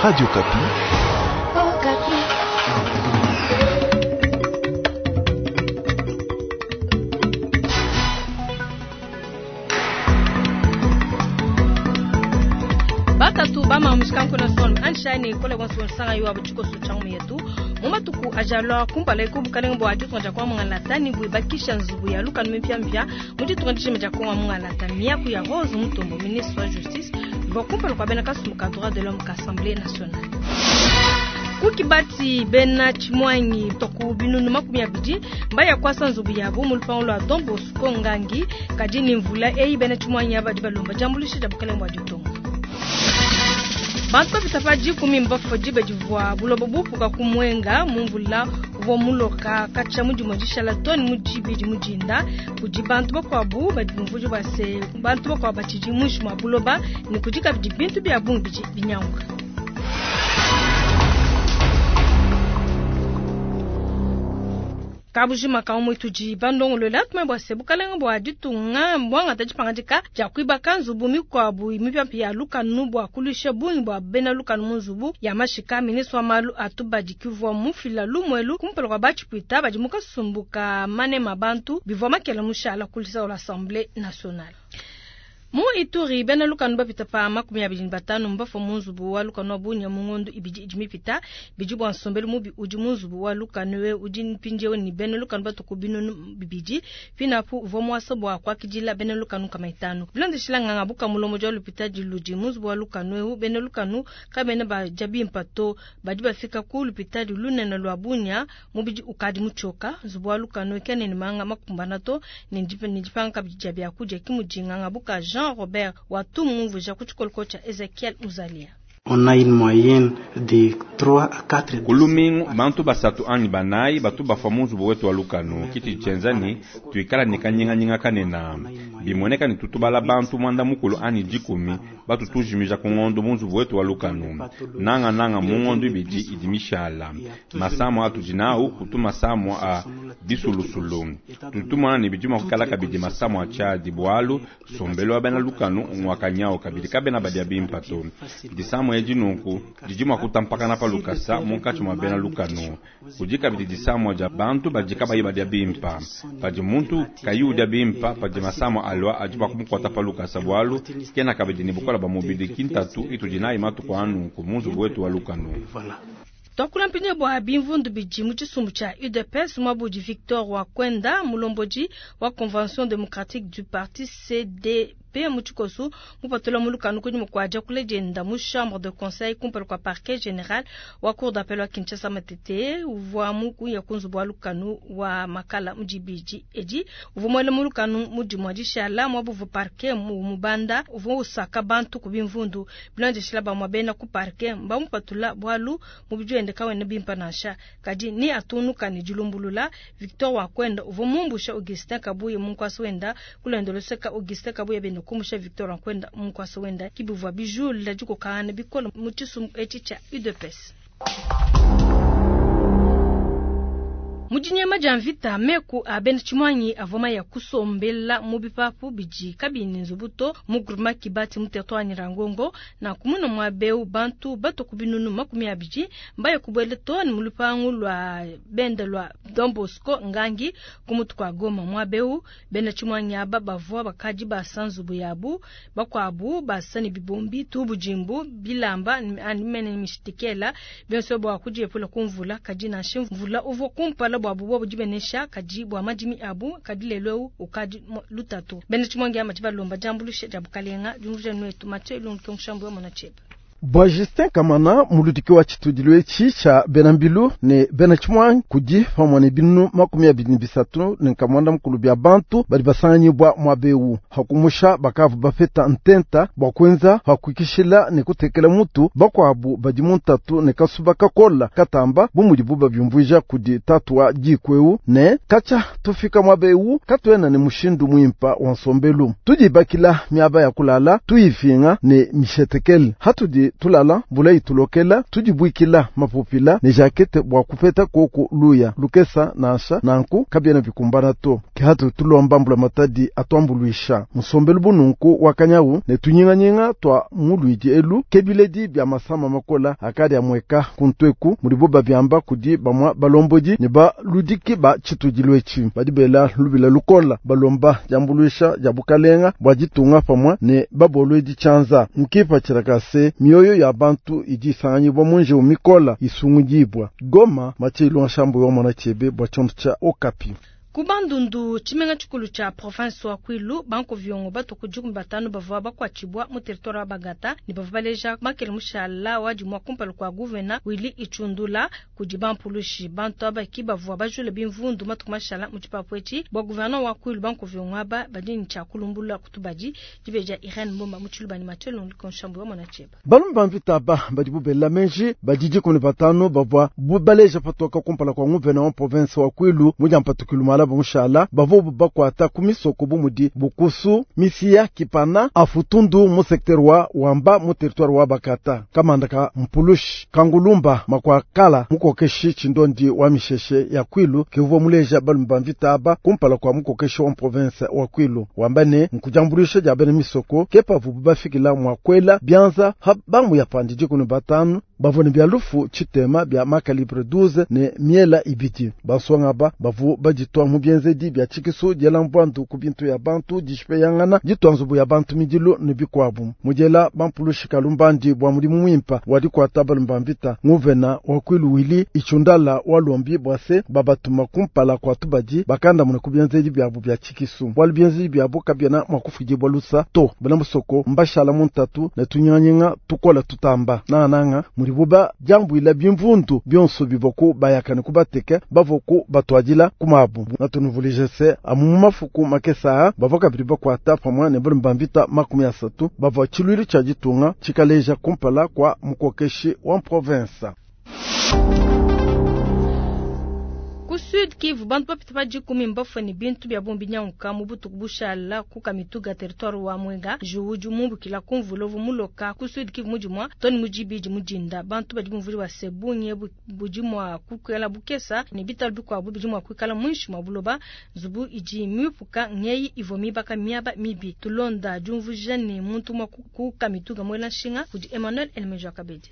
Radio Okapi. Batatu bama mushikanku son anshani kole bonso nsanga yo abuchiko suchangu yetu mu matuku ajalwa kumpala eku bukalenge bua ditunga dia kongo mungalata ne buibakisha nzubu ya lukanu mipiamipia mu ditunga dijima dia kongo mungalata miaku ya Rose Mutombo ministre wa justice ivua kumpala kua bena kasumbu ka droit de l'homme ka assemblée nationale. Ku Kibati bena tshimuangi toku binunu 20 mbaya kuasa nzubu yabu mu lupangu lua Don Bosco Ngangi kadi ni mvula eyi bena tshimuangi aba badi balomba diambuluisha dia bukalenge bua ditunga. Bantu bapita pa dikumi mbafue diba divua buloba bupuka ku Mwenga mu mvula uvua muloka katshia mu dimue dishala too ne mu dibidi mu dinda. Kudi bantu bakuabu badi bumvuija bua se bantu bakuabu batshidi muinshi mua buloba ne kudi kabidi bintu bia bungi bidi binyanguka. Kabujima ka umue tudi bandongoluela tumanye bua se bukalenge bua ditunga mbuangata dipangadika dia kuibaka nzubu mikuabu mipiamipia ya lukanu bua kuluisha bungi bua bena lukanu mu nzubu ya mashika. Ministre wa malu a tubadi kivua mufila lumuelu kumpala kua batshipuita badi mu kasumbu ka manema bantu bivua makela mushala kulisa wa l'Assemblée nationale. Mu Ituri, bena lukanu bapita pa 25 mbafua mu nzubu wa lukanu wa Bunia mu ngondo ibidi idi mipita. Bidi bua nsombelu mubi udi mu nzubu wa lukanu we udi mpindieu ne bena lukanu batuku 2000. Pinapu uvua muasa bua kuakidila bena lukanu kama itanu. Bilondeshila nganga buka mulomo dia lupitadi ludi mu nzubu wa lukanu eu, bena lukanu kabena badia bimpa to. Badi bafika ku lupitadi lunene lua Bunia mubidi ukadi mutshioka. Nzubu wa lukanu kene ne manga makumbana to ne dipanga kabidi dia biakudia kimudi nganga buka Jean Robert Watumumvuja ku tshikoloko tshia Ezekiel Muzalia. On a une moyenne de 3 à 4 Ku lumingu bantu basatu anyi banayi batu bafua mu nzubu wetu wa lukanu. Kiti tshienza ni tuikala ne kanyinganyinga kanena. Bimueneka ni tutubala bantu mwanda mukulu anyi dikumi batu tujimija ku ngondo mu nzubu wetu wa lukanu. Nanga nanga mu ngondo ibidi idi mishala. Masamo atudi nawu kutu masamo a bisulusulu. Tutumona ne bidi mua kukala kabidi masamo a tshiadi bualu sombelu wa bena lukanu ngwakanyao kabidi kabena badia bimpa to. Disamo edi nunku didi mua kutampakana pa lukasa munkatshi mua bena lukanu. Kudi kabidi disamo dia bantu badi kabayi badia bimpa. Padi muntu kayi udia bimpa, padi masamo alua adi mua kumukuata pa lukasa bualu kena kabidi ne bukola bua mubidi kintatu itudi nayi matuku a nunku mu nzubu wetu wa lukanu. Twakula mpindieu bua bimvundu bidi mu tshisumbu tshia UDPS mwabudi Victor Wakwenda mulombodi wa Convention démocratique du parti CDP mu tshikosu mupatula mu lukanu kunyima kua diakula dienda mu chambre de conseil kumpala kua parquet général wa cour d'appel wa Kinshasa Matete uvua mukuya ku nzubu wa lukanu wa Makala mu dibidi edi uvua muele mu lukanu mu dimue dishala mwabuvu parquet mu mubanda uvua usaka bantu ku bimvundu bilondeshila bamue bena ku parquet mbamupatula bualu mubidi wende kawena bimpa nansha kadi ni atunuka ne dilumbulula. Victor Wakwenda uvua mumbusha Augustin Kabuye mu nkwasa wenda kulondoloseka Augustin Kabuye bende kumbusha Victor Wakwenda mu nkwasa wenda kibivua bijula dikokangana bikole mu tshisumbu etshi tshia UDPS. Mu dinyema dia mvita meku a bena tshimuangi avua maya kusombela mu bipapu bidi kabiyi ne nzubu to mu groupement Kibati mu territoire Nyiragongo na kumuna mua beu bantu bato ku 20 mbaya kubuela to ne mu lupangu lua benda lua Don Bosco Ngangi ku mutu kua Goma mua beu bena tshimuangi aba bavua bakadi basa nzubu yabu bakuabu basa ne bibombi tubujimbu bilamba ani mene mishitikela bionso bua kudiepula ku mvula kadi nansha mvula uvua kumpala bua bubo budi benesha kadi bua madimi abu kadi lelo ukadi lutatu bena tshimuangi ama balomba diambuluisha dia bukalenga diumvuija nwetu Mathieu Ilungu Mushambu wa mona chebe. Bua Justin Kamana muludiki wa tshitudilu etshi tshia bena mbilu ne bena tshimuangi kudi pamue ne 23 ne nkamwanda mukulu bia bantu badi basanganyibwa muaba hakumusha bakavu bapeta ntenta bua kuenza hakuikishila ne kutekela mutu bakuabu badi mu ntatu ne kasuba kakola katamba bu mudibu babiumvuija kudi tatu wa diku ne katshia tufika muaba eu katuena ne mushindu muimpa wa nsombelu tudibakila miaba ya kulala tuyifinga ne mishetekele hatudi. Tudi tulala mvula itulokela, tudibuikila mapupila ne jakete bua kupeta koku luya lukesa nansha nanku kabiena bikumbana to. Ke hatu tulomba mbula matadi atuambuluisha musombelu bununku wakanyawu ne tunyinganyinga tua muluidi elu ke biledi bia masama makola akadi amweka kuntweku mudibo babiamba kudi bamwa balombodi ne baludiki ba tshitudilu etshi badi bela lubila lukola balomba diambuluisha dia bukalenga bua ditunga pamwe ne babolwedi tshianza mukipatshila kase mioyo ya bantu idi isanganyibwa munji mikola isungudibwa. Goma Mathieu Nshambu wa mwana chebe bua tshiondo tshia Okapi. Ku Bandundu tshimenga tshikulu tshia province wa Kwilu banko viongo batuku 15 bavua bakuatshibwa mu territoire wa Bagata ne bavua baleja makele mushala wa dimwa kumpala kua gouverneur Willy Ichundula kudi bampulushi bantu aba ki bavua bajule bimvundu matuku mashala mu tshipapu etshi bua gouverneur wa Kwilu banko viongo aba badi ne tshia kulumbula kutubadi dibeja Irene Mbomba mu Tshiluba ne Mathieu Nshambu wa mwana cheba. Balumba bamvita ba badi bubela menji badidi 15 bavua baleja patoka kumpala kwa gouverneur wa province wa Kwilu mu diampatukulu mala mushala bavo bakwata ku misoko bumudi Bukusu Misia Kipana Afutundu mu secteur wa Wamba mu territoire wa Bakata kamanda ka Mpulushi Kangulumba makwakala mukokeshi chindondi wa misheshe ya Kwilu kivwa muleja balumba mvita aba kumpala kwa mukokeshi wa province wa Kwilu wamba ne nkujambulisha ja bene misoko kepa vubu bafikila mwakwela byanza habamu ya pandiji 15 bavone bya lufu chitema bya makalibre 12 ne miela ibiti baswanga ba bavu bajitwa mu bienzedi bya chikisu diela mbwandu ku bintu ya bantu dishipeyangana ditwa nzubu ya bantu midilu ne bikwabu mujela bampulushi kalumbandi bwa mudimu mwimpa wadikwata balumba mvita nguvena wa Kwilu Willy Ichundala walombi bwase babatuma kumpala kwa tubadi bakanda mune ku bienzedi byabu bya chikisu bwalu bienzedi byabu kabyana mwakufidibwa lusa to bana musoko mbashala muntatu ne tunyanyinga tukola tutamba nananga mulibuba jambwila bimvundu byonso bivoku bayakane kubateke bavoku batwadila kumabu natunuvulije se amu mafuku makesa bavoka bili bakwata pamwe ne balumba mvita 30 bavwa tshilwili tshia ditunga tshikaleja kumpala kwa mukokeshi wa province. Ku Sud Kivu bantu bapita pa 10 mbafwe bintu bya bombi nyanguka mu butuku bushala ku Kamituga territoire wa Mwenga juwuju mumbukila kumvulovu muloka ku Sud Kivu mujimwa toni mujibiji mujinda bantu badi bumvuli wa sebunye bujimwa kukela bukesa ne bitalu bikwabu bijimwa kwikala mwinshi mwa buloba nzubu iji mipuka ngeyi ivo mibaka miaba mibi tulonda jumvuja ne muntu mwa ku Kamituga mwela nshinga kudi Emmanuel Elmejo Kabedi.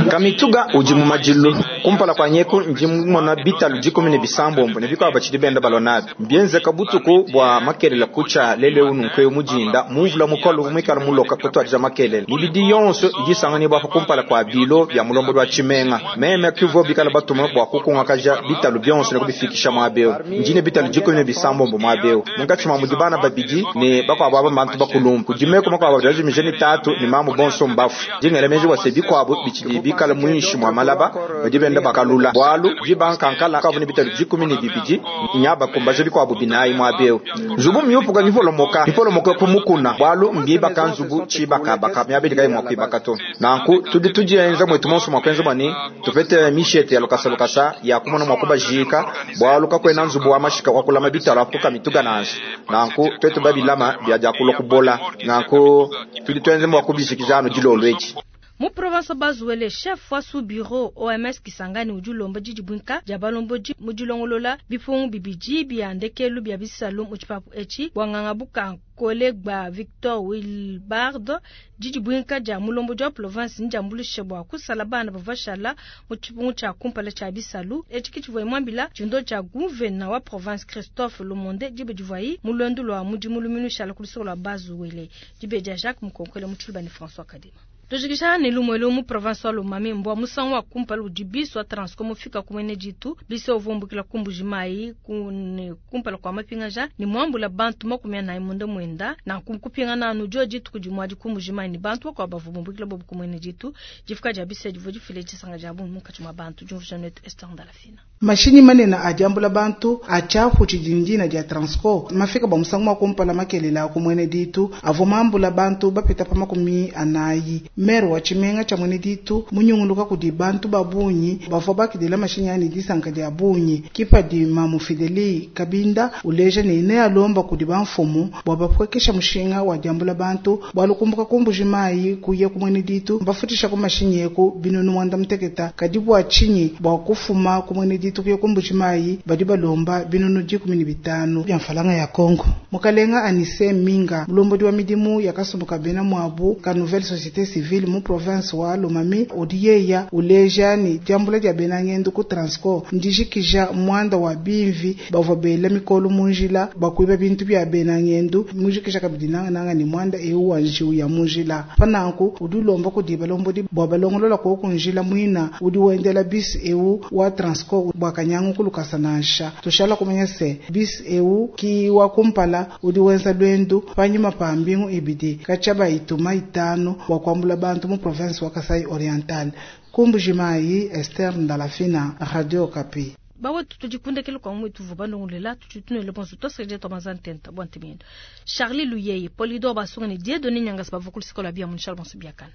Kamituga udi mu madilu kumpala kwa nyeku ndi mumona bitalu 17 ne bikwa bachidi benda balonabi mbienzeka butuku bwa makelela kucha lele ununkwe mujinda mumvula mukolo mwikala muloka kutwadija makelela mibidi yonso idisangani bwa kumpala kwa bilo bya mulombo lwa chimenga meme kivo bikala batuma bwa kukungakaja bitalu byonso ne kubifikisha mwabeo ndine bitalu 17 mwabeo mungachi mwa mudibana babidi ne bakwa baba bantu bakulumbu kudimeko makwa baba mijeni tatu ni mamu bonso mbafu dingele meji wa sebi kwabo bichidi bikala mwinshi mwa malaba badibenda bakalula bwalu jibankankala kabuni bitalu 12 nyaba kumbaje bikwabo binayi mwabeo nzubu myupuka nivolomoka nivolomoka kumukuna bwalu mbiba kanzubu chibaka baka myabidi mwa kwibaka to nanku tudi tujienza mwetu monso mwa kwenza bani tupete mishete ya lokasa lokasa ya kumona mwa kubajika bwalu kakwena nzubu wa mashika wa kulama bitalo apuka mituga nansi nanku twetu babilama bya kulo kubola nanku tudi tuenze mwa kubishikizano jilolo echi. Mu province Bazuele chef wa sous bureau OMS Kisangani ujulomba jiji bwinka jabalombo mujilongolola bipungu bibiji bya ndekelu bya bisalu mu tshipapu etshi bwanganga buka kolegba Victor Wilbard jiji bwinka ja mulombo jwa province njambulishe bwa kusala bana bavashala mu tshipungu tsha kumpala tsha bisalu etshi kitshivua mwambila tshindo tsha gouverneur wa province Christophe Lomonde jibe jivai mulwendu lwa mudimu luminu shala kulisoko lwa Bazuele jibe ja Jacques Mukonkole mu Tshiluba ni François Kadima. Tujikisha ni lumwelo mu province wa Lomami mbwa musango wa kumpala udibiso wa Transco mufika kumene jitu biso uvumbukila kumbuji mai kune kumpala kwa mapingaja ni mwambula bantu 40 munde mwenda na kupinga na anu jitu kujimwa kumbuji mai ni bantu kwa bavumbukila bobu kumene jitu jifuka jabise jivu jifile jisanga jabu mukachi mwa bantu jumvu Janet Esther Ndalafina. Mashinyi manene ajambula bantu achafu chijinjina ja Transco mafika ba musango wa kumpala makelela kumwene ditu avo mambula bantu bapita pa 40. Maire wa tshimenga tshia Mwene Ditu munyunguluka kudi bantu ba bungi bavua bakidila mashinyi aa ne disanka dia bungi. Ke padi Mamu Fideli Kabinda uleja ne, nealomba kudi bamfumu bua bapuekesha mushinga wa diambula bantu, bualu kumbuka ku Mbuji Mayi kuya ku Mwene Ditu mbafutshisha ku mashinyi eku binunu muanda muteketa, kadi bua tshinyi bua kufuma ku Mwene Ditu kuya ku Mbuji Mayi badi balomba binunu 15 bia mfalanga ya Congo? Mukalenga Anise Minga, mulombodi wa midimu ya kasumbu ka bena muabu ka Nouvelle Societe Civile mu province wa Lomami, udi yeya uleja ne, diambula dia bena ngendu ku Transco ndijikija muanda wa bimvi bavua bela mikolu mu njila bua kuiba bintu bia bena ngendu, mujikija kabidi nangananga ne muanda eu wa njiwu ya mu njila. Pa nanku udi ulomba kudi balombodi bua balongolola koku njila muina udi wendela bus eu wa Transco bua kanyangu ku lukasa nansha. Tushala kumanya se, bus eu ki wa kumpala udi wenza luendu panyima pa mbingu ibidi katshia bayituma itanu bua kuambula bantu mu province wa Kasai Oriental. Ku Mbuji-Mayi, Esther Ndalafina, Radio Okapi. Bawetu tudi kundekela kua mwetu vuba ndongolela tudi tunele bonso tuasekeja tua manza ntenta bua ntemendo. Charlie Luyeye, Polydor Basunga ne Dieudonné Nyangasi bavua ku luseke lua bia mu Charles Bonso Biakana.